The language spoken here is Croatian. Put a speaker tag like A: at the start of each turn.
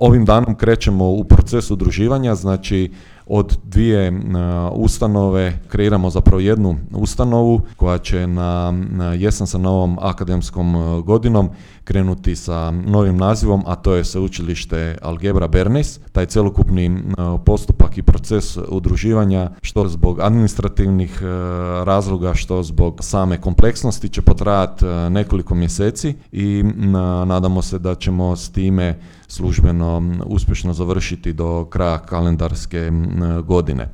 A: Ovim danom krećemo u proces udruživanja, znači od dvije ustanove kreiramo zapravo jednu ustanovu koja će na jesen sa novom akademskom godinom krenuti sa novim nazivom, a to je Sveučilište Algebra Bernays. Taj celokupni postupak i proces udruživanja, što zbog administrativnih razloga, što zbog same kompleksnosti, će potrajati nekoliko mjeseci i nadamo se da ćemo s time službeno uspješno završiti do kraja kalendarske godine.